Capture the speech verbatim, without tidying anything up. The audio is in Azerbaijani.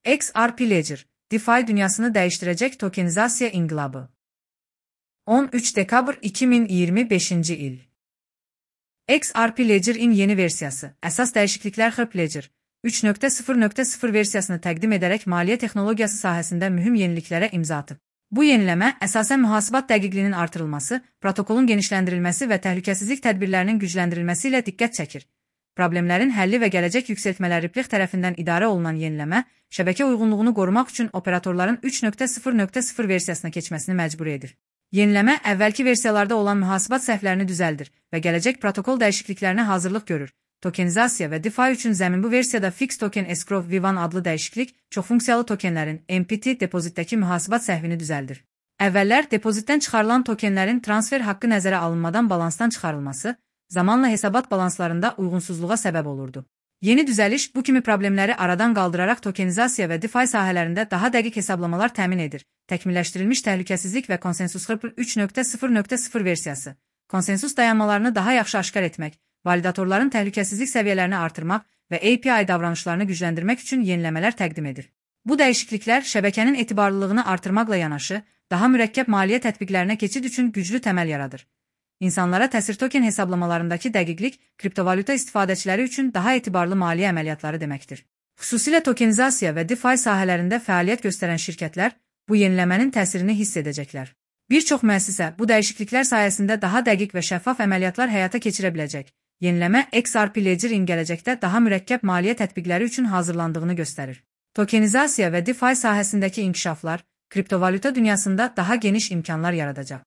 X R P Ledger, DeFi dünyasını değiştirecek tokenizasiya inqilabı. on üç dekabr iki bin iyirmi beşinci il. X R P Ledger-in yeni versiyası, əsas dəyişikliklər X R P Ledger üç nöqtə sıfır nöqtə sıfır versiyasını təqdim edərək maliyyə texnologiyası sahəsində mühüm yeniliklərə imza atıb. Bu yeniləmə əsasən mühasibat dəqiqliyinin artırılması, protokolun genişləndirilməsi və təhlükəsizlik tədbirlərinin gücləndirilməsi ilə diqqət çəkir. Problemlərin həlli və gələcək yüksəltmələri Ripple tərəfindən idarə olunan yeniləmə, şəbəkə uyğunluğunu qorumaq üçün operatorların üç nöqtə sıfır nöqtə sıfır versiyasına keçməsini məcbur edir. Yeniləmə əvvəlki versiyalarda olan mühasibat səhvlərini düzəldir və gələcək protokol dəyişikliklərinə hazırlıq görür. Tokenizasiya və DeFi üçün zəmin bu versiyada Fix Token Escrow V bir adlı dəyişiklik, çoxfunksiyalı tokenlərin M P T depozitdəki mühasibat səhvini düzəldir. Əvvəllər depozitdən çıxarılan tokenlərin transfer haqqı nəzərə alınmadan balansdan çıxarılması, zamanla hesabat balanslarında uyğunsuzluğa səbəb olurdu. Yeni düzəliş bu kimi problemləri aradan qaldıraraq tokenizasiya və DeFi sahələrində daha dəqiq hesablamalar təmin edir. Təkmilləşdirilmiş təhlükəsizlik və konsensus X R P üç nöqtə sıfır nöqtə sıfır versiyası, konsensus dayanmalarını daha yaxşı aşkar etmək, validatorların təhlükəsizlik səviyyələrini artırmaq və A P I davranışlarını gücləndirmək üçün yeniləmələr təqdim edir. Bu dəyişikliklər şəbəkənin etibarlılığını artırmaqla yanaşı, daha mürəkkəb maliyyə tətbiqlərinə keçid üçün güclü təməl yaradır. İnsanlara təsir token hesablamalarındakı dəqiqlik, kriptovalyuta istifadəçiləri üçün daha etibarlı maliyyə əməliyyatları deməkdir. Xüsusilə tokenizasiya və DeFi sahələrində fəaliyyət göstərən şirkətlər bu yeniləmənin təsirini hiss edəcəklər. Bir çox müəssisə bu dəyişikliklər sayəsində daha dəqiq və şəffaf əməliyyatlar həyata keçirə biləcək. Yeniləmə X R P Ledger-in gələcəkdə daha mürəkkəb maliyyə tətbiqləri üçün hazırlandığını göstərir. Tokenizasiya və DeFi sahəsindəki inkişaflar, kriptovalyuta dünyasında daha geniş imkanlar yaradacaq.